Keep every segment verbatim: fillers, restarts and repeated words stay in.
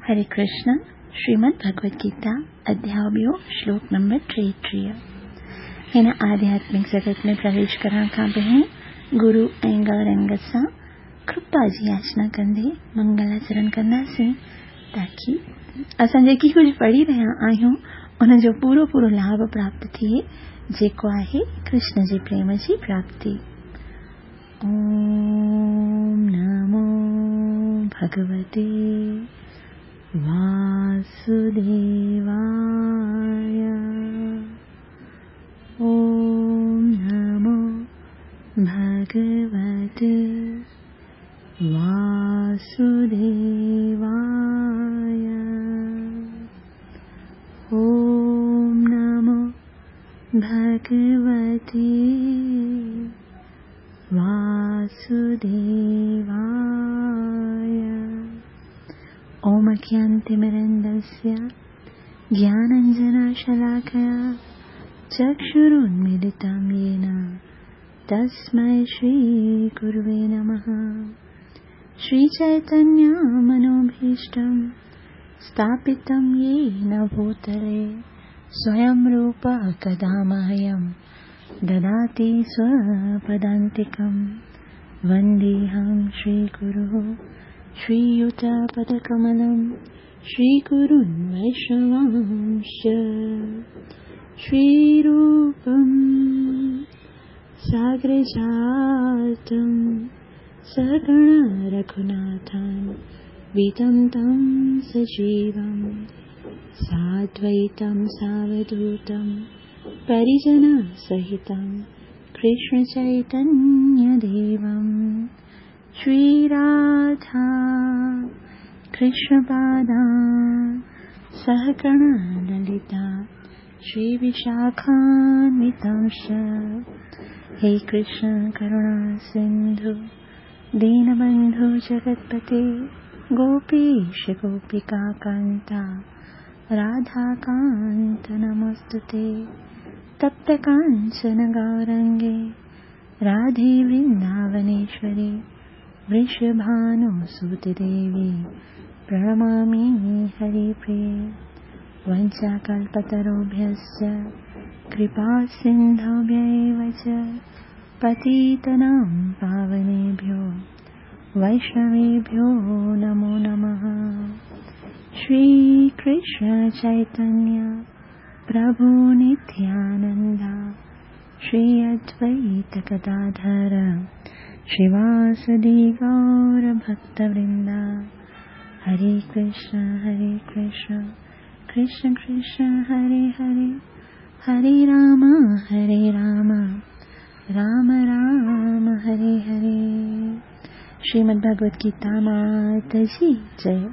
हरे कृष्ण। श्रीमद् भगवद गीता अध्याय ॿियो श्लोक नंबर टेटीह। हिन आध्यात्मिक जगत में प्रवेश करण खां पहिरीं गुरु ऐं गौरंग सां कृपा जी याचना कंदे मंगलाचरण कंदासीं, ताकी असां जेकी कुझु पढ़ी रहिया आहियूं उनजो पूरो पूरो लाभ प्राप्त थिए, जेको आहे कृष्ण जे प्रेम जी प्राप्ति। ॐ नमो भगवते वासुदेवाय। ॐ नमो भगवते वासुदेवाय। ॐ नमो भगवते वासुदेवाय। ॐ अज्ञानतिमिरन्दस्य ज्ञानाञ्जनशलाकया चक्षुरुन्मीलितं येन तस्मै श्रीगुरुवे नमः। श्रीचैतन्यमनोभीष्टं स्थापितं येन भूतले स्वयं रूपः कदा मह्यं ददाति स्वपदान्तिकं। वन्देऽहं श्रीगुरुः श्रीयुतपदकमलं श्रीगुरुन् वैष्णवांश्च। श्रीरूपं सागरजातं सगणरघुनाथान्वितं तं सजीवं साद्वैतं सावधूतं परिजनसहितं कृष्णचैतन्यदेवं। श्रीराधा कृष्णपादा सहगणललिता श्रीविशाखान्वितांश्च। हे कृष्ण करुणा सिन्धु दीनबन्धु जगत्पते गोपीश गोपिकान्ता राधाकान्त नमोऽस्तुते। तप्तकाञ्चन गौरङ्गे राधे वृन्दावनेश्वरि वृषभानुसुते देवी प्रणमामि हरिप्रिये। वञ्चाकल्पतरुभ्यश्च कृपासिन्धुभ्य एव च पतितानां पावनेभ्यो वैष्णवेभ्यो नमो नमः। श्रीकृष्ण चैतन्य प्रभु नित्यानन्द श्री अद्वैत गदाधर श्रीवासदि गौरभक्तवृन्द। हरे कृष्ण हरे कृष्ण कृष्ण कृष्ण हरे हरे, हरे राम हरे राम राम राम हरे हरे। श्रीमद् भगवद गीता माता जी जय।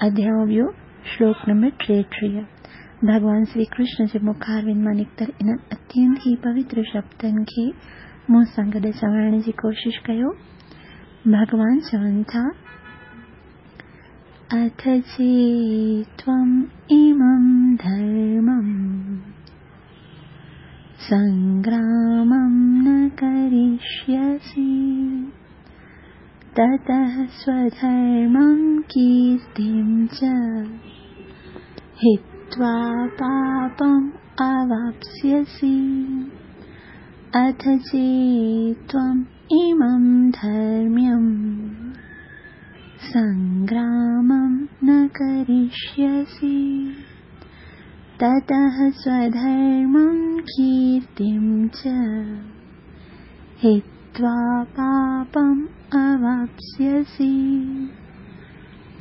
अध्याय ॿियो श्लोक नंबर टेटीह। भॻवान श्री कृष्ण जे मुखारविंद मां निकितल इन्हनि अत्यंत ई पवित्र शब्दनि खे मूं सां गॾु चवण जी कोशिश कयो। भॻवान चवनि था, अथ चेत्त्वम् इमं धर्मं संग्रामं न करिष्यसि ततः स्वधर्मं कीर्तिं च हित्वा पापम् अवाप्स्यसि। अथ चेत्त्वम् इमं धर्म्यं संग्रामं न करिष्यसि ततः स्वधर्मं कीर्तिं च हित्वा पापम् अवाप्स्यसि।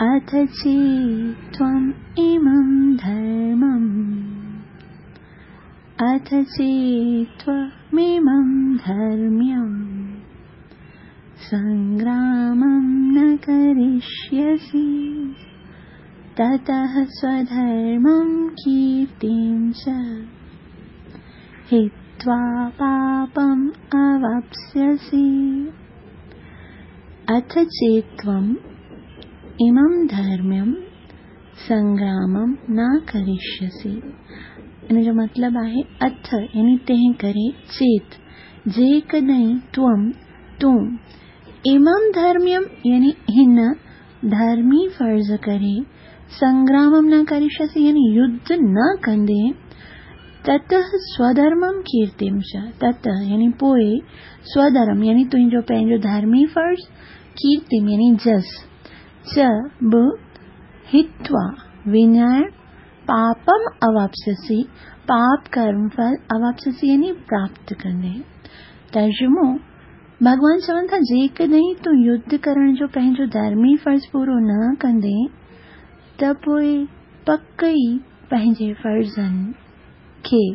अथ चेत्त्वम् इमं धर्मम् अथ चेत्त्वमिमं धर्म्यं संग्रामं न करिष्यसि ततः स्वधर्मं कीर्तिं च हित्वा पापम् अवाप्स्यसि। अथ चेत्त्वम् इमं धर्म्यं संग्रामं न करिष्यसि। इन जो मतिलबु आहे अथ यानी तंहिं करे, चेत जेकॾहिं त्वं तूं, इमं धर्म्यं यानी हिन धर्मी फ़र्ज़ करे संग्रामं न करिष्यसि यानी युद्ध न कंदे, ततः स्वधर्मं कीर्तिं च, ततः यानी पोइ स्वधर्म यानी तुंहिंजो पंहिंजो धर्मी फ़र्ज़, कीर्तिं यानी जस, च बि हित्वा विञाइण पापम अवाप्स्यसि, पाप कर्म फल अवाप्स्यसि यानी प्राप्त कंदे। तर्जुमो, भॻवान चवनि था जेकॾहिं तूं युद्ध करण जो पंहिंजो धर्मी फ़र्ज़ पूरो न कंदे त पोइ पक ई पंहिंजे फ़र्ज़नि खे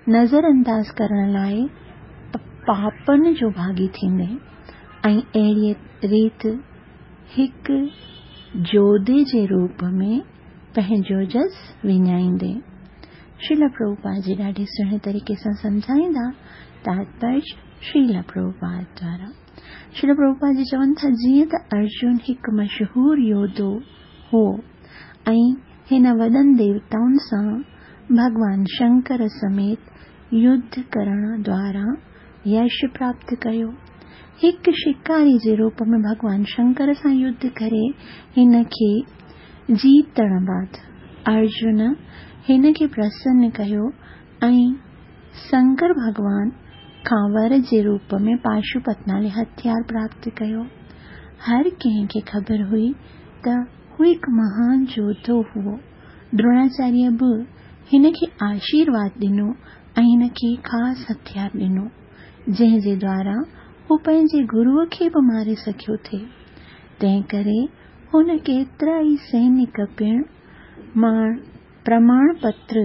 नज़रअंदाज़ करण लाइ पापनि जो भागी थींदे ऐं अहिड़ीअ रीति हिकु जोधे जे रूप में पंहिंजो जस विञाईंदे। श्रील प्रभुपाद जी ॾाढे सुहिणे तरीक़े सां सम्झाईंदा तात्पर्य श्रील प्रभुपाद द्वारा। श्रील प्रभुपाद जी चवनि था जीअं त अर्जुन हिकु मशहूर योद्धो हो ऐं हिन वॾनि देवताउनि सां भॻवान शंकर समेत युद्ध करण द्वारा यश प्राप्त कयो। हिकु शिकारी जे रूप में भॻवान शंकर सां युद्ध करे हिन खे जीतण बाद अर्जुन हिन खे प्रसन्न कयो ऐं शंकर भॻवान खां वर जे रूप में पाशुपत नाले हथियार प्राप्त कयो। हर कंहिंखे ख़बर हुई त हू हिकु महान योद्धो हुओ। द्रोणाचार्य बि हिन खे आशीर्वाद ॾिनो ऐं हिन खे ख़ासि हथियार ॾिनो जंहिंजे द्वारा हू पंहिंजे गुरूअ खे बि मारे सघियो थे। तंहिं करे हुन केतिरा ई सैनिक पिणु माण प्रमाण पत्र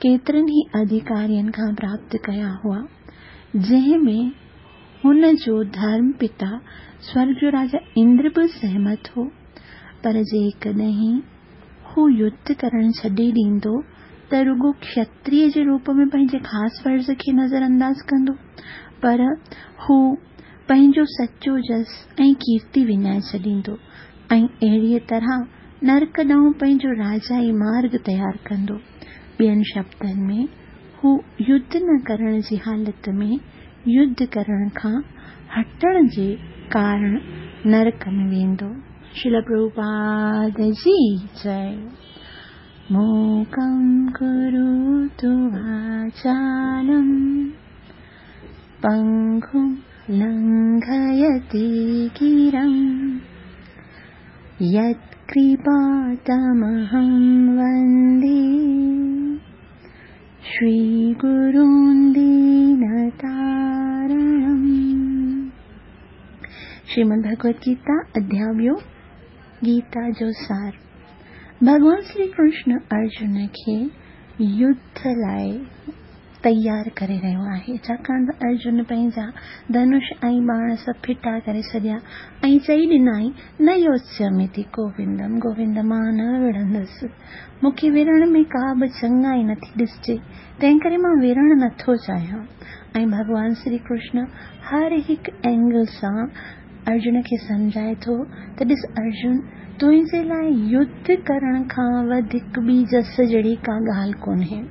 केतिरनि ई अधिकारियुनि खां प्राप्त कया हुआ, जंहिं में हुन जो धर्म पिता स्वर्ग जो राजा इंद्र बि सहमत हो। पर जेकॾहिं हू युद्ध करण छॾे ॾींदो त रुगो क्षत्रिय जे रूप में पंहिंजे ख़ासि फ़र्ज़ खे नज़रअंदाज़ कंदो, पर हू पंहिंजो सचो जस ऐं कीर्ति विञाए छॾींदो ऐं अहिड़ीअ तरह नरक ॾांहुं पंहिंजो राजाई मार्ग तयारु कंदो। ॿियनि शब्दनि में हू युद्ध न करण जी हालत में युद्ध करण खां हटण जे कारण नरक में वेंदो। श्रील प्रभुपाद जी जय। मूकं करोतु वाचालं पङ्गुं लङ्घयते गिरिं यत्कृपातमहं वन्दे श्रीगुरुं दीनतारणम्। श्रीमद् भगवद गीता अध्याय ॿियो, गीता जो सार। भॻवान श्री कृष्ण अर्जुन खे युद्ध लाइ तयारु करे रहियो आहे, छाकाणि त अर्जुन पंहिंजा धनुष ऐं बाण सभु फिटा करे छॾिया ऐं चई ॾिनई, न योत्स्यामि गोविंदम, गोविंद मां न विढ़ंदुसि, मूंखे विढ़ण में का बि चङाई नथी ॾिसजे, तंहिं करे मां विढ़ण नथो चाहियां। ऐं भॻवान श्री कृष्ण हर हिकु एंगल सां अर्जुन खे सम्झाए थो त ॾिस अर्जुन, तुंहिंजे लाइ युद्ध करण खां वधीक ॿी जस जहिड़ी का ॻाल्हि कोन्हे।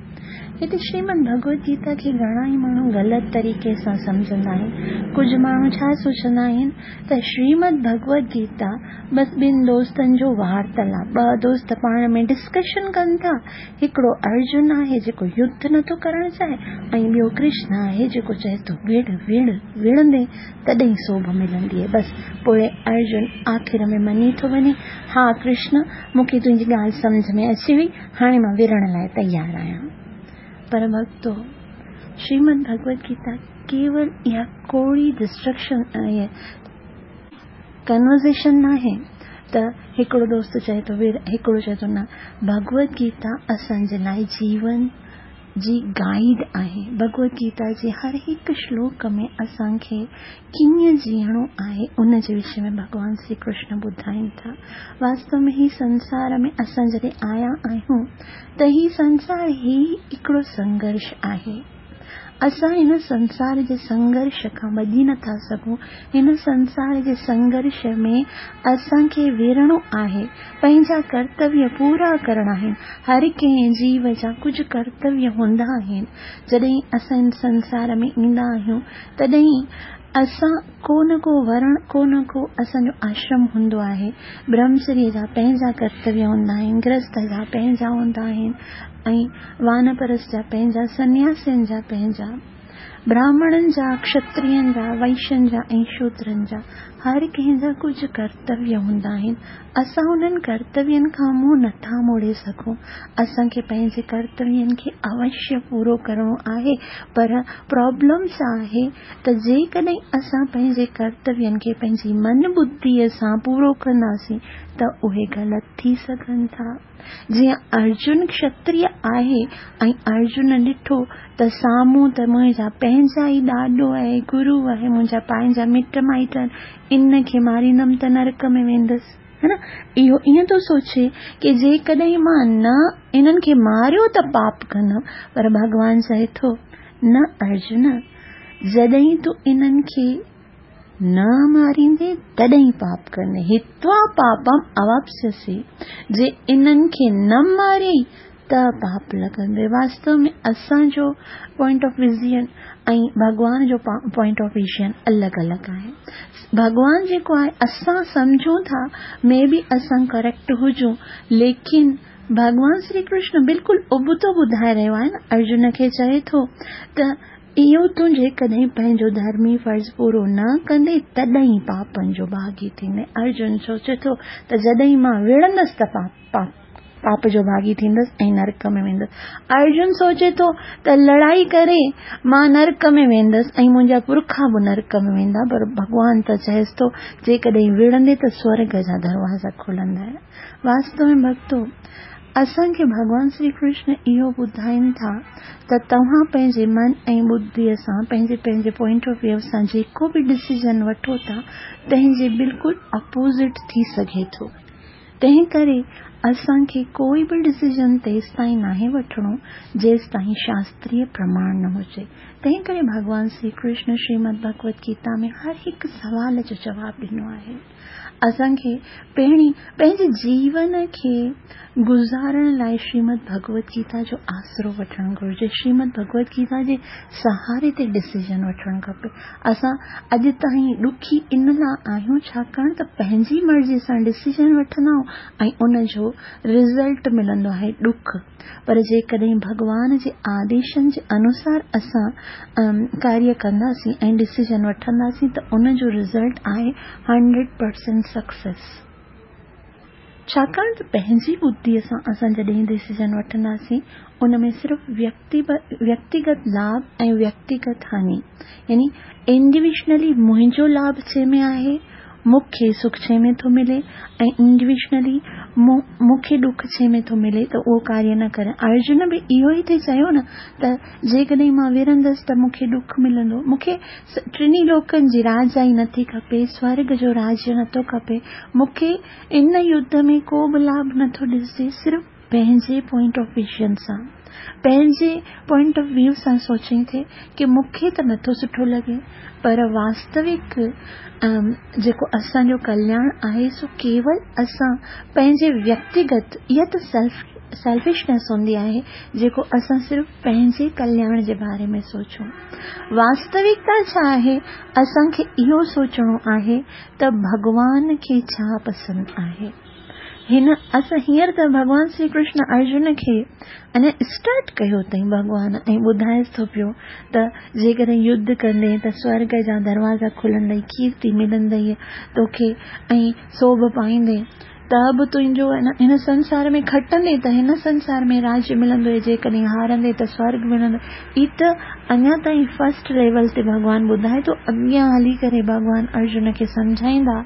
हिते श्रीमद भगवद गीता खे घणा ई माण्हू ग़लति तरीक़े सां सम्झंदा आहिनि। कुझु माण्हू छा सोचंदा आहिनि त श्रीमद भगवद गीता बसि ॿिनि दोस्तनि जो वार्तालाप, ॿ दोस्त पाण में डिस्कशन कनि था। हिकिड़ो अर्जुन आहे जेको युद्ध नथो करणु चाहे ऐं ॿियो कृष्ण आहे जेको चए थो विड़ विड़ विढ़ंदे तॾहिं सोभ मिलंदी आहे। बसि पोइ अर्जुन आख़िर में मञी थो वञे, हा कृष्ण, मूंखे तुंहिंजी ॻाल्हि सम्झ में अची वई, हाणे मां विढ़ण लाइ तयारु आहियां। पर भक्तो, श्रीमद भगवद गीता केवल इहा कोड़ी डिस्ट्रक्शन कन्वर्सेशन न आहे त हिकिड़ो दोस्त चए थो विड़, हिकिड़ो चए थो न। भगवद गीता असांजे लाइ जीवन जी गाइड आहे। भगवद गीता जे हर हिकु श्लोक में असांखे कीअं जीअणो आहे उन जे विषय में भॻवान श्री कृष्ण ॿुधाइनि था। वास्तव में ही संसार में असां जॾहिं आया आहियूं त ही संसार ही हिकिड़ो संघर्ष आहे। असां हिन संसार जे संघर्ष खां भॼी नथा सघूं। हिन संसार जे संघर्ष में असांखे विढ़णो आहे, पंहिंजा कर्तव्य पूरा करणा आहिनि। हर कंहिं जीव जा कुझु कर्तव्य हूंदा आहिनि। जॾहिं असां हिन संसार में ईंदा आहियूं तॾहिं असां को न को वर्ण, को न को असांजो आश्रम हूंदो आहे। ब्रह्मचर्य जा पंहिंजा कर्तव्य हूंदा आहिनि, गृहस्थ जा पंहिंजा हूंदा आहिनि ऐं वानप्रस्थ जा पंहिंजा, सन्यासियुनि जा पंहिंजा, ब्राह्मणनि जा, क्षत्रियनि जा, वैश्यनि जा ऐं शूद्रनि जा, हर कंहिंजा कुझु कर्तव्य हूंदा आहिनि। असां उन्हनि कर्तव्यनि खां मुंहुं नथा मोड़े सघूं। असांखे पंहिंजे कर्तव्यनि खे अवश्य पूरो करिणो आहे, पर प्रॉब्लम छा आहे त जेकॾहिं असां पंहिंजे कर्तव्यनि खे पंहिंजी मन बुद्धीअ सां पूरो कंदासीं त उहे ग़लति थी सघनि था। जीअं अर्जुन क्षत्रिय आहे ऐं अर्जुन ॾिठो त साम्हूं त मुंहिंजा पंहिंजा ई ॾाॾो आहे, गुरू आहे, मुंहिंजा पंहिंजा मिट माइट आहिनि, इन खे मारींदमि त नरक में वेंदसि, है न। इहो ईअं थो सोचे की जेकॾहिं मां न इन्हनि खे मारियो त पाप कंदमि, पर भॻवान चए थो न अर्जुन, जॾहिं तूं इन्हनि खे न मारींदे तॾहिं पाप कंदे। हित्वा पापम अवाप्स्यसि, जे इन्हनि खे न मारियई त पाप लॻंदो। वास्तव में असांजो पॉइंट ऑफ विज़न ऐं भॻवान जो पॉइंट ऑफ विज़न अलॻि अलॻि आहे। भॻवान जेको आहे असां सम्झूं था, मे बी असां करेक्ट हुजूं, लेकिन भॻवान श्री कृष्ण बिल्कुलु उबतो ॿुधाए रहियो आहे न। अर्जुन खे चए थो त इहो तूं जेकॾहिं पंहिंजो धर्मी फ़र्ज़ पूरो न कंदे तॾहिं पापनि जो भागी थींदे। अर्जुन सोचे थो त जॾहिं मां विढ़ंदसि त पाप पाप पाप जो भागी थींदसि ऐं नरक में वेंदसि। अर्जुन सोचे थो त लड़ाई करे मां नरक में वेंदसि ऐं मुंहिंजा पुरखा बि नरक में वेंदा, पर भॻवान त चएसि थो जेकॾहिं विढ़ंदे त स्वर्ग जा दरवाज़ा खुलंदा। वास्तव में भक्तो, असांखे भॻवान श्री कृष्ण इहो ॿुधाइनि था त तव्हां पंहिंजे मन ऐं बुद्धीअ सां, पंहिंजे पंहिंजे पॉइंट ऑफ व्यू सां जेको बि डिसीजन वठो था तंहिंजे बिल्कुलु अपोज़िट थी सघे थो। तंहिं करे असांखे कोई बि डिसीजन तेसिताईं नाहे वठिणो जेसिताईं शास्त्रीय प्रमाण न हुजे। तंहिं करे भॻवान श्री कृष्ण श्रीमद् भगवत गीता में हर हिकु सवाल जो जवाबु ॾिनो आहे। असांखे पहिरीं पंहिंजे जीवन खे गुज़ारण लाइ श्रीमद् भगवत गीता जो आसरो वठणु घुरिजे। श्रीमद् भगवत गीता जे सहारे ते डिसीजन वठणु खपे। असां अॼु ताईं ॾुखी इन लाइ आहियूं छाकाणि त पंहिंजी मर्ज़ी सां डिसीजन वठंदा आहियूं ऐं उन जो रिज़ल्ट मिलंदो आहे ॾुख। पर जेकॾहिं भॻवान जे आदेशनि जे अनुसार असां कार्य कंदासीं ऐं डिसीजन वठंदासीं त उन जो रिज़ल्ट आहे हंड्रेड परसेंट सक्सेस। छाकाणि त पंहिंजी बुद्धीअ सां असां जॾहिं डिसीजन वठंदासीं उन में सिर्फ़ व्यक्ति व्यक्तिगत लाभ ऐं व्यक्तिगत हानि, यानी इंडिविजुअली मुंहिंजो लाभ छे में आहे, मूंखे सुख छे में थो मिले ऐं इंडिविजुअली मूंखे ॾुख छे में थो मिले, त उहो कार्य न करे। अर्जुन बि इहो ई थी चयो न त जेकॾहिं मां विढ़ंदसि त मूंखे ॾुख मिलंदो, मूंखे टिन्ही लोकनि जी राजाई नथी खपे, स्वर्ग जो राज्य नथो खपे, मूंखे इन युद्ध में को बि लाभ नथो ॾिसजे, सिर्फ़ पंहिंजे पॉइंट ऑफ विज़न सां, पंहिंजे पॉइंट ऑफ व्यू सां सोचई थी की मूंखे त नथो सुठो लॻे, पर वास्तविक जेको असांजो कल्याण आहे सो केवल असां पंहिंजे व्यक्तिगत, इहा त सेल्फ सेल्फिशनेस हूंदी आहे जेको असां सिर्फ़ पंहिंजे कल्याण जे बारे में सोचूं। वास्तविकता छा आहे, असांखे इहो सोचणो आहे त भॻवान खे छा पसंदि आहे। हिन असां हींअर त भॻवान श्री कृष्ण अर्जुन खे अञा स्टार्ट कयो अथई भॻवान ऐं ॿुधाएसि थो पियो त जेकॾहिं युद्ध कंदे त स्वर्ग जा दरवाज़ा खुलंदई, कीर्ति मिलंदई तोखे ऐं सोभ पाईंदे, त बि तुंहिंजो हिन संसार में खटंदे त हिन संसार में राज्य मिलंदो, जेकॾहिं हारंदे त स्वर्ग मिलंदो। ई त अञा ताईं फर्स्ट लेवल ते भॻवान ॿुधाए थो। अॻियां हली करे भॻवान अर्जुन खे सम्झाईंदा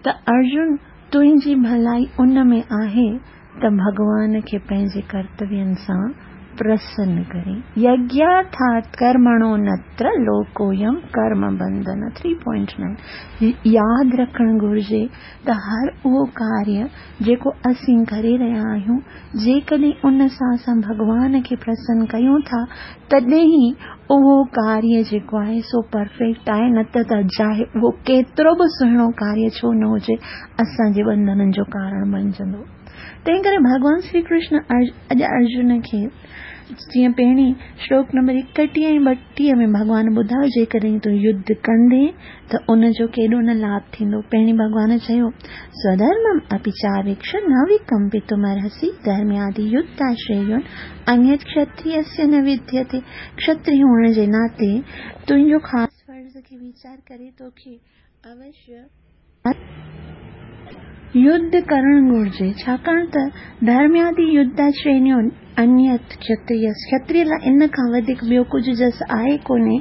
त अर्जुन तुंहिंजी भलाई उन में आहे त भॻवान खे पंहिंजे कर्तव्यनि सां प्रसन्न करे। यज्ञार्थात् कर्मणो नत्र लोकोयम कर्म बंधन। थ्री पॉइंट नाइन यादि रखणु घुरिजे त हर उहो कार्य जेको असीं करे रहिया आहियूं, जेकॾहिं उन सां असां भॻवान खे प्रसन्न कयूं था तॾहिं ई उहो कार्य जेको आहे सो परफेक्ट आहे, न त त चाहे उहो केतिरो बि सुहिणो कार्य छो न हुजे असांजे बंधननि जो कारण बणिजंदो। तंहिं करे भॻवान श्री कृष्ण अॼु अर्जुन खे جيئن پهرين شلوڪ نمبر ايڪٽيهه ۽ ٻٽيهه ۾ ڀڳوان ٻڌايو، جيڪڏهن تون يڌ ڪندين ته ان جو ڪيڏو نه لاڀ ٿيندو. پهرين ڀڳوان چيو، سوڌرمم اپي چاويڪش نه وڪمپتمرهسي ڌرميادي يڌاشريون انيت ڪشتريسيه نه وديتي. ڪشتري هئڻ جي ناتي تنهنجو خاص فرض کي ويچار ڪري توکي اوشيه يڌ ڪرڻ گهرجي، ڇاڪاڻ ته ڌرميادي يڌاشريون انيت ڪشتريس، ڪشتري لاء ان کان وڌيڪ ٻيو ڪجهه جس آهي ڪونهي.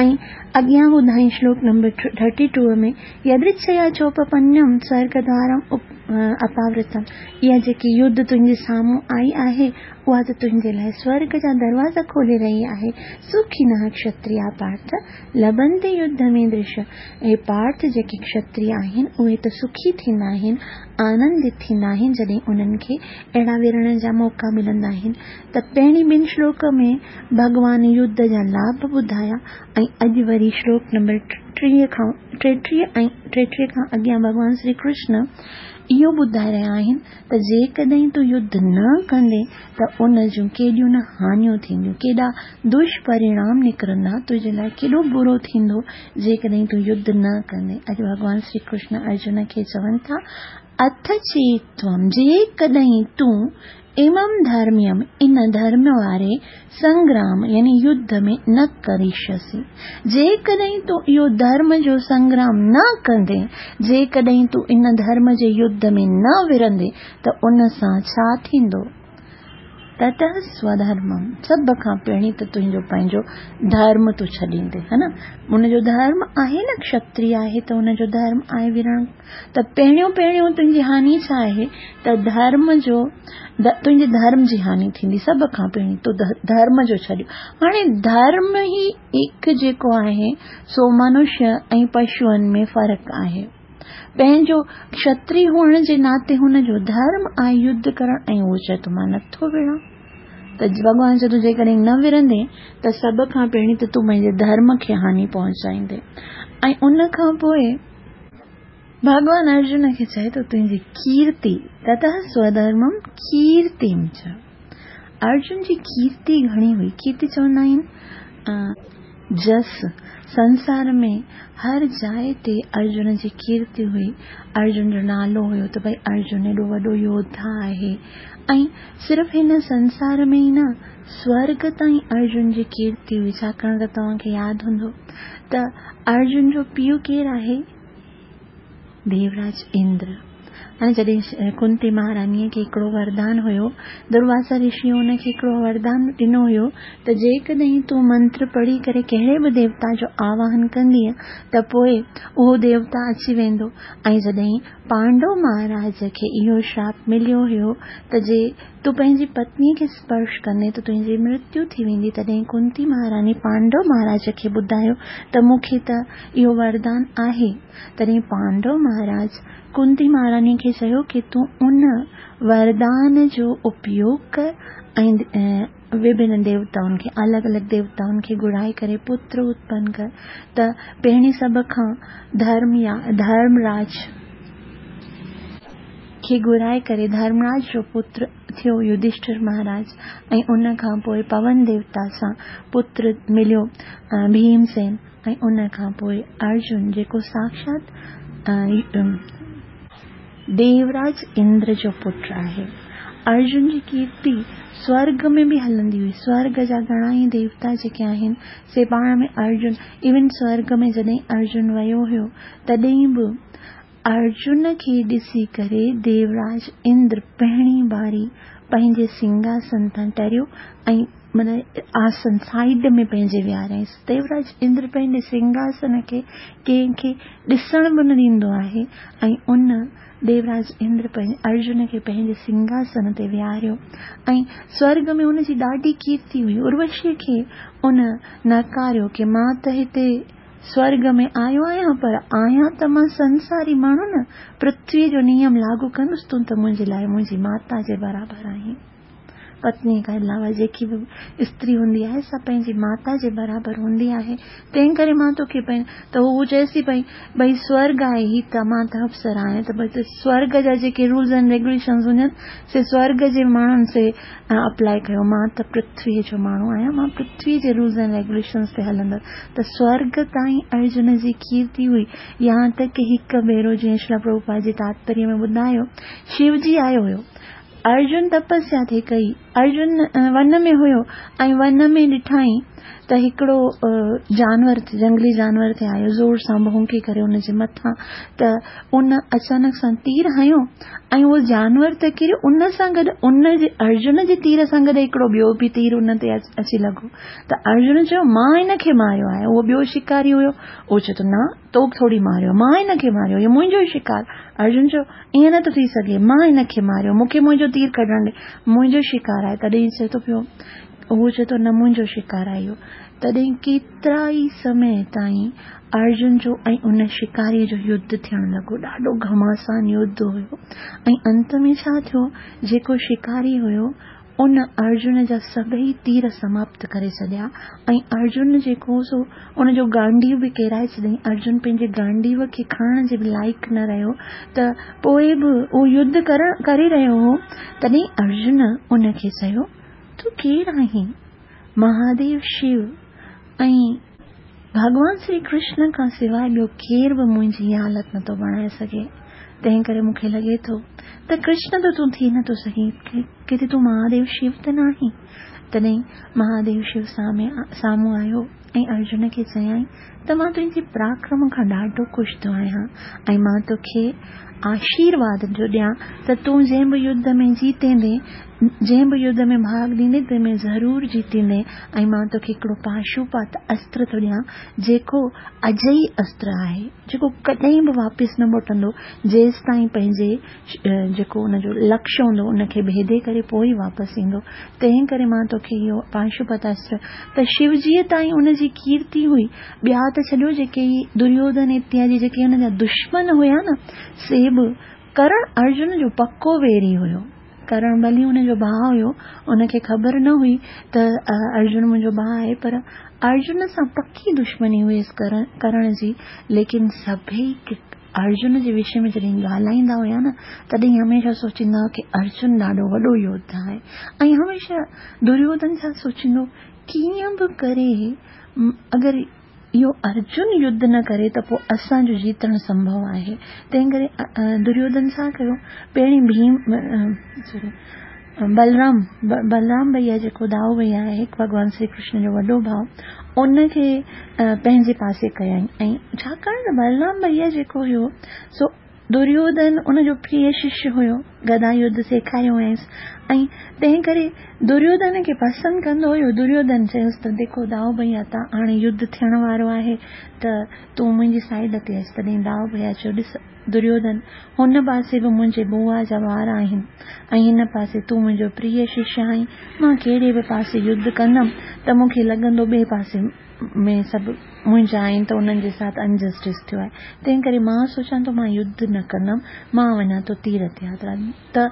۽ اڳيان ٻڌائين شلوڪ نمبر ٿرٽي ٽو ۾ يدرڇيا چوپپنم سورڳدوارم اپاورتم، اها جيڪي يڌ تنهنجي سامهون آئي آهي اها ته تنهنجي لاء سورڳ جا دروازا کولي رهي آهي. سکينه ڪشتريا پارٿ لڀنتي يڌ ۾ درش، اي پارٿ جيڪي ڪشتري آهن اهي ته سکي ٿيندا آهن، آنندت ٿيندا آهن جڏهن انهن کي اهڙا ورڻ جا موقعا ملندا آهن. ته پهرين ٻن شلوڪ ۾ ڀڳوان يڌ جا لاڀ ٻڌايا ۽ اڄ وري شلوڪ نمبر ٽيهه کان ٽيٽيهه ۽ ٽيٽيهه کان اڳيان ڀڳوان شري ڪرشن اهو ٻڌائي رهيا آهن ته جيڪڏهن تون يڌ نه ڪندين ته ان جون ڪيڏيون نه هاڃيون ٿينديون، ڪيڏا دشپرڻام نڪرندا، تنهنجي لاءِ ڪيڏو برو ٿيندو جيڪڏهن تون يڌ نه ڪندين. اڄ ڀڳوان شري ڪرشن ارجن کي چون ٿا، اٿ چيتوم، جيڪڏهن تون امم ڌرميم، ان ڌرم واري سنگرام يعني يڌ ۾ نه ڪريشسي، جيڪڏهن تون اهو ڌرم جو سنگرام نه ڪندين، جيڪڏهن تون ان ڌرم جي يڌ ۾ نه ورندين ته ان سان ڇا ٿيندو؟ تتः سوڌرمم، سڀ کان پهرين ته تنهنجو پنهنجو ڌرم تون ڇڏيندين، ها نه؟ ان جو ڌرم آهي نه، ڪشتري آهي ته ان جو ڌرم آهي ورڻ، ته پهريون پهريون تنهنجي هاني ڇا آهي؟ ته ڌرم جو، تنهنجي ڌرم جي هاني ٿيندي. سڀ کان پهرين تو ڌرم جو ڇڏيو. هاڻي ڌرم ئي هڪ جيڪو آهي سو منشيه ۽ پشوئن ۾ فرق آهي. پنهنجو ڪشتري هئڻ جي ناتي هن جو ڌرم آهي يڌ ڪرڻ ۽ اهو چئي ٿو مان نٿو وڙهان. ته ڀڳوان چئي ٿو جيڪڏهن نه وڙهندين ته سڀ کان پهرين ته تون پنهنجي ڌرم کي هاني پهچائيندين. ۽ ان کان پوءِ ڀڳوان ارجن کي چئي ٿو تنهنجي ڪيرتي، تتः سوڌرمم ڪيرتيم چ. ارجن جي ڪيرتي گهڻي هئي. ڪيرتي چوندا آهن جس. سنسار ۾ هر جاءِ تي ارجن جي ڪيرتي هئي. ارجن جو نالو هيو ته ڀئي ارجن ايڏو وڏو يوڌا آهي. ۽ صرف هن سنسار ۾ ئي نه، سورڳ تائين ارجن جي ڪيرتي هئي. ڇاڪاڻ ته توهان کي ياد هوندو ته ارجن جو پيءُ ڪير آهي؟ ديوراج اندر. هاڻي جڏهن ڪنتي مهارانيءَ کي هڪڙو وردان هيو، درواسا رشي هن کي هڪڙو وردان ڏنو هيو ته جيڪڏهن تون منتر پڙهي ڪري ڪهڙي به ديوتا جو آواهن ڪندينءَ ته پوءِ اهو ديوتا اچي ويندو. ۽ جڏهن پانڊو مهاراج کي اهو شراپ مليو هيو ته جي تون پنهنجي پتنيءَ کي سپرش ڪندين ته تنهنجي مرتيو ٿي ويندي، تڏهن ڪنتي مهاراني پانڊو مهاراج کي ٻڌايو ته مون کي ته اهو وردان آهي. تڏهن پانڊو مهاراج ڪنتي مهاراني کي چيو ڪه تون ان وردان جو اپيوگ ڪر ۽ وڀن ديوتائن کي، الڳ الڳ ديوتائن کي گهرائي ڪري پتر اتپن ڪر. ته پهرين سڀ کان ڌرم يا ڌرمراج کي گهرائي ڪري ڌرمراج جو پتر ٿيو يڌشٺر مهاراج. ۽ ان کان پوءِ پون ديوتا سان پتر مليو ڀيمسين. ۽ ان کان پوءِ ارجن جيڪو ساکشات ديوراج اندر جو پٽ آهي. ارجن جي ڪيرتي سورڳ ۾ به هلندي هئي. سورڳ جا گهڻا ئي ديوتا جيڪي آهن سي پاڻ ۾ ارجن، ايون سورڳ ۾ جڏهن ارجن ويو هيو تڏهن به ارجن کي ڏسي ڪري ديوراج اندر پهرين باري پنهنجي سنگهاسن تان ٽريو ۽ معنيٰ آسن سائيڊ ۾ پنهنجي ويهاريائينس. ديوراج اندر پنهنجي سنگهاسن کي ڪنهن کي ڏسڻ به نه ڏيندو آهي ۽ ان ديوراج اندر پنهنجي ارجن کي پنهنجي سنگهاسن تي ويهاريو. ۽ سورڳ ۾ هن جي ڏاڍي ڪيرتي هئي. اروشيءَ کي ان نڪاريو ڪه مان ته هتي سورڳ ۾ آيو آهيان، پر آهيان ته مان سنساري ماڻهو نه، پرٿويءَ جو نيم لاڳو ڪندس، تون ته منهنجي لاءِ منهنجي ماتا جي برابر آهين. پتنيءَ کان علاوه جيڪي به استري هوندي آهي سا پنهنجي ماتا جي برابر هوندي آهي، تنهن ڪري مان توکي ته هو چئيس ٿي پئي ڀئي سورڳ آهي هي ته مان ته اپسرا آهيان، ته ڀئي سورڳ جا جيڪي رولز اينڊ ريگيوليشنز هجن سي سورڳ جي ماڻهن سي اپلائي ڪيو، مان ته پرٿويءَ جو ماڻهو آهيان، مان پرٿويءَ جي رولز اينڊ ريگيوليشنز تي هلندس. ته سورڳ تائين ارجن جي ڪيرتي هئي. يهان تڪ ڪه هڪ ڀيرو جيئن شريلا پرڀوپاد جي تاتپريه ۾ ٻڌايو، شوجي آيو هيو، ارجن تپسيا ٿي ڪئي، ارجن ون ۾ هيو ۽ ون ۾ ڏٺائين ته هڪڙو جانور جنگلي جانور ٿي آيو، زور سان ڀونڪي ڪري ان جي مٿان، ته ان اچانڪ سان تير هنيو ۽ اهو جانور ته ڪريو، ان سان گڏ ان جي ارجن جي تير سان گڏ هڪڙو ٻيو به تير ان تي اچي لڳو. ته ارجن چيو مان هن کي ماريو آهي، اهو ٻيو شڪاري هيو، اهو چئي ٿو نه تو ٿوري ماريو، مان هن کي ماريو، اهو منهنجو ئي شڪار. ارجن چيو ائين نٿو ٿي سگهي، مان هن کي ماريو، مون کي منهنجو تير ڪڍڻ ڏي، منهنجو شڪار آهي. تڏهن چئي ٿو پيو، اهو چئي ٿو نه منهنجو شڪار آهي اهو. تڏهن ڪيترا ئي سمي تائين ارجن جو ۽ ان شڪاريءَ جو يڌ ٿيڻ لڳو، ڏاڍو گهماسان يڌ هيو. ۽ انت ۾ ڇا ٿيو، جيڪو شڪاري هيو ان ارجن جا سڀئي تير سماپت ڪري ڇڏيا ۽ ارجن جيڪو سو ان جو گانڊيو به ڪيرائي ڇڏيائين. ارجن پنهنجي گانڊيو کي کڻڻ جي به لائق نه رهيو، ته پوءِ به اهو يڌ ڪرڻ ڪري رهيو هو. تڏهن ارجن ان کي چيو تون ڪير آهين؟ مهاديو شو ۽ ڀڳوان شري ڪرشن کان سواءِ ٻيو ڪير به منهنجي اها حالت نٿو بڻائي سگهي، تنهن ڪري مون کي لڳي ٿو ته ڪرشن ته تون ٿي نٿو سگهين، ڪٿي تون مهاديو شو ته نه آهين؟ تڏهن مهاديو شو سامهون آيو ۽ ارجن کي چيائين ته مان تنهنجي پراڪرم کان ڏاڍو خوش ٿيو آهيان ۽ مان توکي آشيرواد ٿو ڏيان ته تون جنهن به يڌ ۾ جيتيندين، جنهن به يڌ ۾ ڀاڳ ڏيندين تنهن ۾ ضرور جيتيندين، ۽ مان توکي هڪڙو پاشوپات استر ٿو ڏيان جيڪو اجئي استر آهي، جيڪو ڪڏهن به واپس نه موٽندو، جيس تائين پنهنجي جيڪو ان جو لڪشيه هوندو ان کي ڀيدي ڪري پوءِ ئي واپس ايندو. تنهن ڪري مان توکي اهو پاشوپت استر. ته شوجيءَ تائين ان جي ڪيرتي هئي. ٻيا ته ڇڏيو، جيڪي دريوڌن اتيادي جيڪي هن جا دشمن هئا نه، سي به ڪرڻ ارجن جو پڪو ويري هيو. ڪرڻ ڀلي هن جو ڀاءُ هيو، ان کي خبر نه هئي ته ارجن منهنجو ڀاءُ آهي، پر ارجن سان پڪي دشمني هئس ڪرڻ جي. ليڪن سڀئي ارجن جي وشي ۾ جڏهن ڳالهائيندا هئا نه، تڏهن هميشه سوچيندا هئا ڪه ارجن ڏاڍو وڏو يوڌا آهي. ۽ هميشه دريوڌن ڇا سوچيندو، ڪيئن به ڪري اگر اهو ارجن يڌ نه ڪري ته پوءِ اسان جو جيتڻ سنڀو آهي. تنهن ڪري دريوڌن ڇا ڪيو، پهرين ڀيم سوري بلرام بلرام ڀئيا جيڪو دائو ڀئيا آهي، ڀڳوان شري ڪرشن جو وڏو ڀاءُ، ان کي پنهنجي پاسي ڪيائين. ۽ ڇاڪاڻ ته بلرام ڀئيا جيڪو هيو سو دريوڌن ان جو پريه ششيه هيو، گدا يڌ سيکاريو هئائينس، ۽ تنهن ڪري دريوڌن کي پسند ڪندو هيو. دريوڌن چيس ته ديکو دائو ڀئيا، ته هاڻي يڌ ٿيڻ وارو آهي، ته تون منهنجي سائيڊ تي اچ. تڏهن دائو ڀئيا چيو ڏس دريوڌن، هن پاسي به منهنجي بوا جا ٻار آهن ۽ هن پاسي تون منهنجو پريه ششيه آهين، مان ڪهڙي به پاسي يڌ ڪندم ته مون کي لڳندو ٻئي پاسي ۾ سڀ منهنجا آهن، ته انهن جي ساٿ انجسٽس ٿيو آهي، تنهن ڪري مان سوچان ٿو مان يڌ نه ڪندم، مان وڃان ٿو تيرٿ ياترا. ته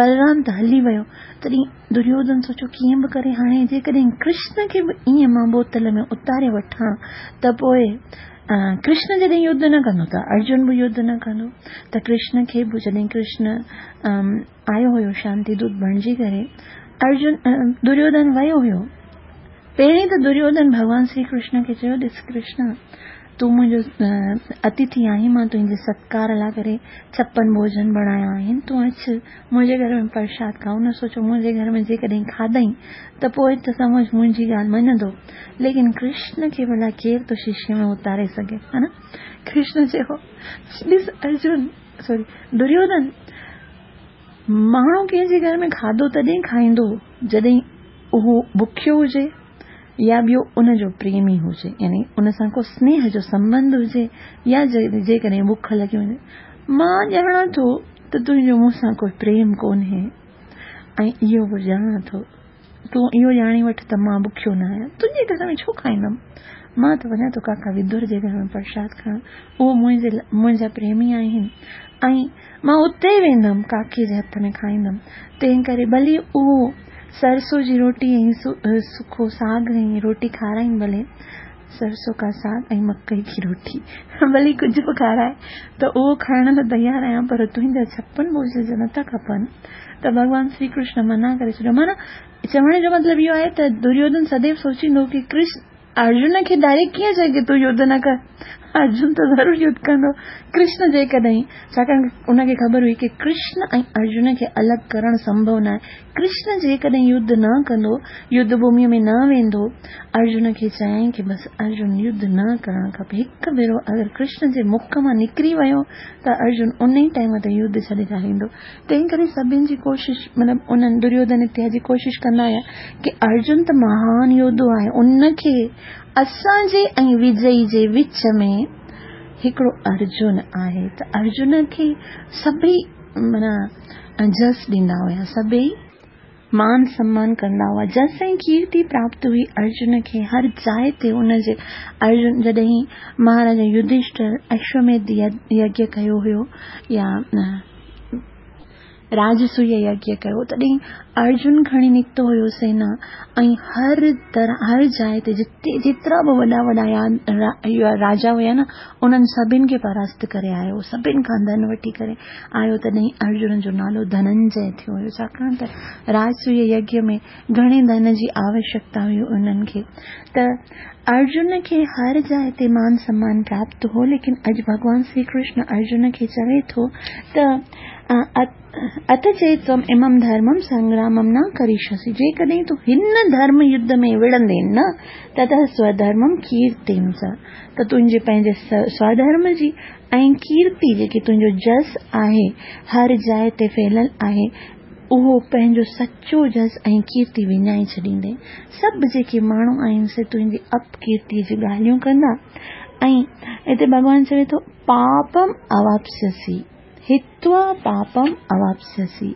بلرام ته هلي ويو. تڏهن دريوڌن سوچيو ڪيئن به ڪري هاڻي جيڪڏهن ڪرشن کي به ائين مان بوتل ۾ اتاري وٺان ته پوءِ ڪرشن جڏهن يڌ نه ڪندو ته ارجن به يڌ نه ڪندو. ته ڪرشن کي به جڏهن ڪرشن آيو هيو شانتي دوت بڻجي ڪري، ارجن دريوڌن ويو هيو. پهرين ته دريوڌن ڀڳوان شري ڪرشن کي چيو ڏس ڪرشن، تون منهنجو اتٿي آهين، مان تنهنجي ستڪار لاءِ ڪري ڇپن ڀوڄن بڻايا آهن، تون اچ منهنجي گهر ۾ پرشاد کاءُ. هن سوچيو منهنجي گهر ۾ جيڪڏهن کاڌئين ته پوءِ ته سمجهه منهنجي ڳالهه مڃندو. ليڪن ڪرشن کي ڀلا ڪير ٿو شيشي ۾ اتاري سگهي، ها نه؟ ڪرشن چيو ڏس ارجن سوري دريوڌن، ماڻهو ڪنهن جي گهر ۾ کاڌو تڏهن کائيندو جڏهن اهو بکيو هجي يا ٻيو ان جو پريمي هجي، يعني ان سان ڪو سنيهه جو سنٻنڌ هجي، يا جيڪڏهن بک لڳي وڃي. مان ڄاڻان ٿو ته تنهنجو مون سان ڪوئي پريم ڪونهي، ۽ اهو به ڄاڻان ٿو تون اهو ڄاڻي وٺ ته مان بکيو نه آهيان، تنهنجي گهر ۾ ڇو کائيندم، مان ته وڃان ٿو ڪاڪا ودر جي گهر ۾ پرشاد کائڻ، اهو منهنجي منهنجا پريمي آهن ۽ مان اتي ويندم، ڪاڪي جي هٿ ۾ کائيندم. تنهن ڪري ڀلي اهو सरसों जी रोटी ऐं सुको साग ऐं रोटी खाराइनि, भले सरसों का साग ऐं मकई की रोटी भले कुझु बि खाराए त उहो खाइण लाइ तयारु आहियां, पर तुंहिंजा छप्पन भोज जा नथा खपनि। त भॻवान श्री कृष्ण मना करे छॾियो। माना चवण जो मतिलबु इहो आहे त दुर्योधन सदैव सोचींदो की कृष्ण अर्जुन खे डायरेक्ट कीअं चए की तूं युद्ध न कर, अर्जुन त ज़रूरु युद्ध कंदो। कृष्ण जेकॾहिं, छाकाणि उनखे ख़बर हुई की कृष्ण ऐं अर्जुन खे अलॻि करणु संभव न आहे। कृष्ण जेकॾहिं युद्ध न कंदो, युद्ध भूमिअ में न वेंदो, अर्जुन खे चयईं की बसि अर्जुन युद्ध न करणु खपे। हिकु भेरो अगरि कृष्ण जे मुख मां निकिरी वियो त अर्जुन उन ई टाइम ते युद्ध छॾे छाॾींदो। तंहिं करे सभिनी जी कोशिशि, मतिलबु उन्हनि दुर्योधन इत्या जी कोशिशि कंदा हुया की अर्जुन त महान योद्धो आहे, उनखे असांजे ऐं विजयी जे विच में हिकिड़ो अर्जुन आहे। त अर्जुन खे सभई माना जस ॾींदा हुया, सभई मान सम्मान कंदा हुआ। जस ऐं कीर्ति प्राप्त हुई अर्जुन खे हर जाइ ते। उनजे अर्जुन जॾहिं महाराजा युधिष्ठिर अश्वमेध यज्ञ कयो हुयो या राजसूय यज्ञ कयो, तॾहिं अर्जुन खणी निकितो हुयो सेना ऐं हर तरह हर जाइ ते जिते जेतिरा बि वॾा वॾा राजा हुया न, उन्हनि सभिनि खे परास्त करे आयो, सभिनि खां धन वठी करे आयो। तॾहिं अर्जुन जो नालो धनंजय थियो हुयो, छाकाणि त राजसूय यज्ञ में घणे धन जी आवश्यकता हुई उन्हनि खे। त अर्जुन खे हर जाइ ते मान सम्मान प्राप्त हो, लेकिन अॼु भॻवान श्री कृष्ण अर्जुन खे चवे थो त अथ चेत त्वम् इमं धर्मं संग्रामं न करिष्यसि, जेकॾहिं तूं हिन धर्म युद्ध में विढ़ंदे न, ततः स्वधर्मं कीर्तिं च, त तुंहिंजे पंहिंजे स्वधर्म जी ऐं कीर्ति जेकी तुंहिंजो जस आहे हर जाइ ते फैलियल आहे, उहो पंहिंजो सचो जस ऐं कीर्ति विञाए छॾींदे। सभु जेके माण्हू आहिनि से तुंहिंजी अपकीर्तीअ जी ॻाल्हियूं कंदा। ऐं हिते भॻवान चवे थो पापम अवाप्स्यसि, हित्वा पापम अवाप्स्यसि।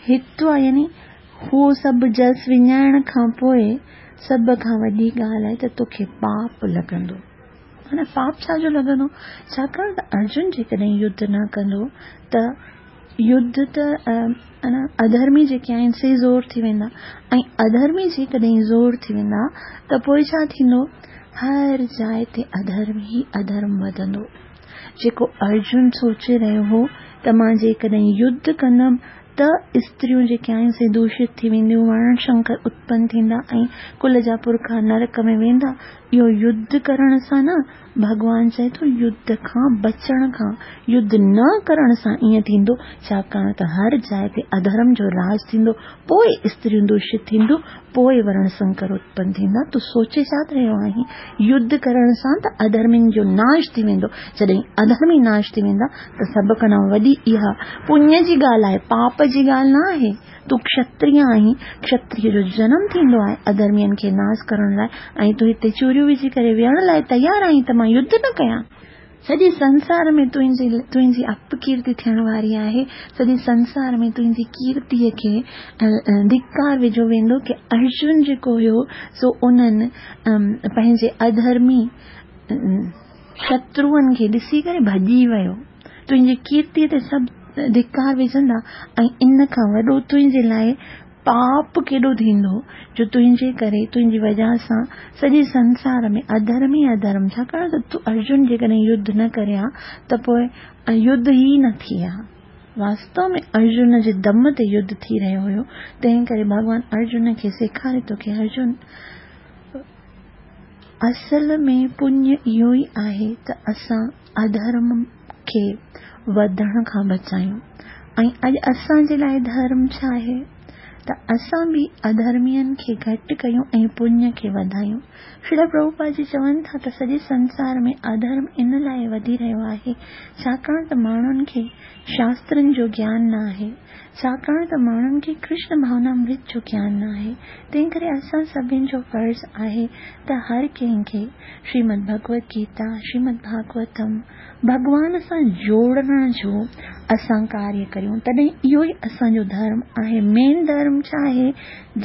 हित्वा यानी उहो सभु जस विञाइण खां पोइ सभ खां वॾी ॻाल्हि आहे त तोखे पाप लॻंदो। माना पाप छाजो लॻंदो? छाकाणि त अर्जुन जेकॾहिं युद्ध न कंदो त युद्ध त अधर्मी जेके आहिनि से ज़ोर थी वेंदा, ऐं अधर्मी जेकॾहिं ज़ोर थी वेंदा त पोइ छा थींदो? हर जाइ ते अधर्म ई अधर्म वधंदो। जेको अर्जुन सोचे रहियो हो त मां जेकॾहिं युद्ध कंदमि त स्त्रियूं जेके आहिनि से दूषित थी वेंदियूं, वर्ण शंकर उत्पन्न थींदा ऐं कुल जा पुरखा नरक में वेंदा। इहो युद्ध करण सां न, भॻवान चए थो युद्ध खां बचण खां, युद्ध न करण सां ईअं थींदो, छाकाणि त हर जाइ ते अधर्म जो राज थींदो, पोइ स्त्रियूं दूषित थींदियूं, पोइ वर्ण संकर उत्पन्न थींदा। तूं सोचे छा रहियो आहीं? युद्ध करण सां त अधर्मियुनि जो नाश थी वेंदो। जॾहिं अधर्मी नाश थी वेंदा त सभ खां वॾी इहा पुण्य जी ॻाल्हि आहे, पाप जी ॻाल्हि न आहे। तूं क्षत्रिय आहीं, क्षत्रिय जो जनम थींदो आहे अधर्मियुनि खे नाश करण लाइ, ऐं तूं हिते चूरियूं विझी करे विहण लाइ तयारु आहीं त मां युद्ध न कयां। सॼे संसार में तुंहिंजी तुंहिंजी अपकीर्ति थियण वारी आहे, सॼे संसार में तुंहिंजी कीर्तीअ खे धिकार विझो वेंदो की अर्जुन जेको हुयो सो उन्हनि पंहिंजे अधर्मी शत्रुअनि खे ॾिसी करे भॼी वियो। तुंहिंजी कीर्तीअ ते सभु धिकार विझंदा ऐं इन खां वॾो तुंहिंजे लाइ पाप केॾो थींदो जो तुंहिंजे करे, तुंहिंजी वजह सां सॼे संसार में अधर्म ई अधर्म। छाकाणि त तूं अर्जुन जेकॾहिं युद्ध न करे हा त पोइ युद्ध ई न थिए हा। वास्तव में अर्जुन जे दम ते युद्ध थी रहियो हुयो। तंहिं करे भॻवान अर्जुन खे सेखारे थो की अर्जुन, असल में पुण्य इहो ई आहे त असां अधर्म खे वधण खां बचायूं। ऐं अॼु असांजे लाइ धर्म छा आहे? त असां बि अधर्मियुनि खे घटि कयूं ऐं पुण्य खे वधायूं। श्रील प्रभुपाद जी चवनि था त सॼे संसार में अधर्म इन लाइ वधी रहियो आहे छाकाणि त माण्हुनि खे शास्त्रनि जो ज्ञान न आहे, छाकाणि त माण्हुनि खे कृष्ण भावनामृत जो ज्ञान न आहे। तंहिं करे असां सभिनी जो फ़र्ज़ आहे त हर कंहिंखे श्रीमद् भगवत गीता, श्रीमद् भागवतम भॻवान सां जोड़ण जो اسان ڪاريه ڪريون. تڏهن اهو ئي اسان جو ڌرم آهي. مين ڌرم ڇا آهي؟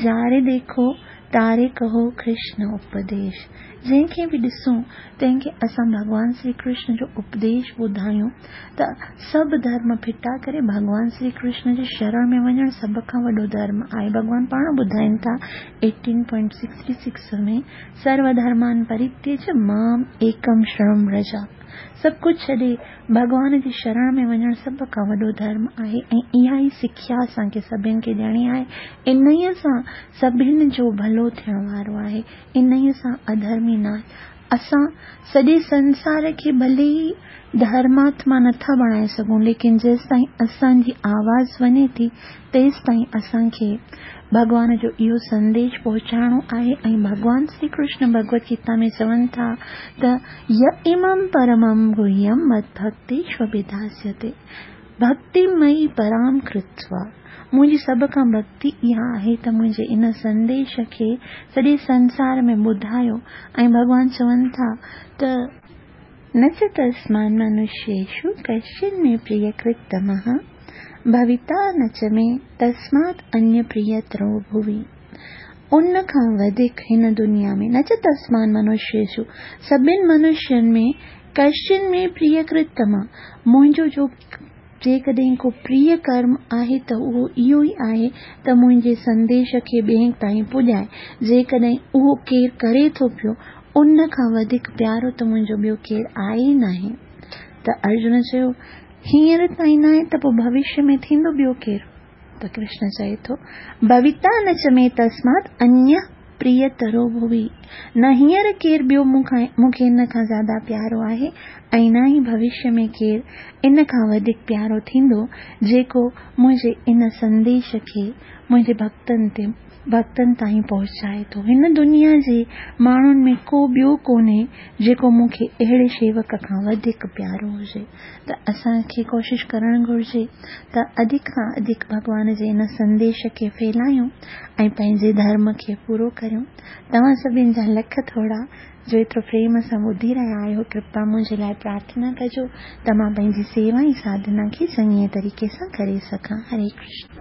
جاري ديکو تاري ڪهو ڪرشن اپديش. جنهن کي به ڏسون تنهن کي اسان ڀڳوان شري ڪرشن جو اپديش ٻڌايون ته سڀ ڌرم ڦٽا ڪري ڀڳوان شري ڪرشن جي شرڻ ۾ وڃڻ سڀ کان وڏو ڌرم آهي. ڀڳوان پاڻ ٻڌائين ٿا ايٽين پوائنٽ سڪسٽي سڪس ۾ سرو ڌرمان پرتيج مام ايڪم شرڻم رجا. سڀ ڪجهه ڇڏي ڀڳوان جي شرڻ ۾ وڃڻ سڀ کان وڏو ڌرم آهي ۽ اها ئي سکيا اسان کي سڀني کي ڏيڻي آهي. انهيء سان سڀني جو ڀلو ٿيڻ وارو آهي. انهيء سان اڌرمي ناش. اسان سڄي سنسار کي ڀلي ئي ڌرماتما نٿا بڻائي سگهون، ليڪن جيستائين اسان جي آواز وڃي ٿي تيستائين اسان کي ڀڳوان جو اهو سنديش پهچائڻو آهي. ۽ ڀڳوان شري ڪرشن ڀڳوت گيتا ۾ چون ٿا ته ي امم پرمم گهيم مدڀڪتيشوڀڌاسيتي ڀڪتي مئي پرام ڪرتوا. منهنجي سڀ کان ڀڪتي اها آهي ته منهنجي ان سنديش کي سڄي سنسار ۾ ٻڌايو. ۽ ڀڳوان چون ٿا ته نه چ تسمان منشيشو ڪشچن ۾ پريڪرتمه ڀويتا نه چ ۾ تسمات انيه پريترو ڀوي. ان کان وڌيڪ هن دنيا ۾ نه چ تسمان منشيشو سڀن منشين ۾ ڪشچن ۾ پريڪرتمه منهنجو جو جيڪڏهن ڪو پريه ڪرم آهي ته اهو اهو ئي آهي ته منهنجي سنديش کي ٻين تائين پڄائي. جيڪڏهن اهو ڪير ڪري ٿو پيو ان کان وڌيڪ پيارو ته منهنجو ٻيو ڪير آهي ئي ناهي. ته ارجن چيو هينئر تائين ناهي ته پوءِ ڀوشيه ۾ ٿيندو ٻيو ڪير؟ ته ڪرشن چئي ٿو ڀويتا نه چ ۾ تسمات انيه پريترو ڀوي. نه هينئر ڪير ٻيو مون کان مون کي ان کان زياده پيارو آهي ۽ نه ئي ڀوشيه ۾ ڪير ان کان وڌيڪ پيارو ٿيندو جيڪو منهنجي ان سنديش کي منهنجي ڀڪتن تي ڀڪتن تائين پهچائي ٿو. هن دنيا جي ماڻهن ۾ ڪو ٻيو ڪونهي جيڪو مون کي اهڙي شيوڪ کان وڌيڪ پيارو هجي. ته اسان کي ڪوشش ڪرڻ گهرجي ته اڌڪ کان اڌڪ ڀڳوان جي ان سنديش کي ڦهلايون ۽ پنهنجي ڌرم کي پورو ڪريون. توهان سڀني جا لک ٿورا جو ايترو پريم سان ٻڌي رهيا آهيو. ڪرپا منهنجي لاءِ پرارٿنا ڪجو ته مان پنهنجي سيوا ۽ ساڌنا کي چڱي طريقي سان ڪري سگهان. هري ڪرشن.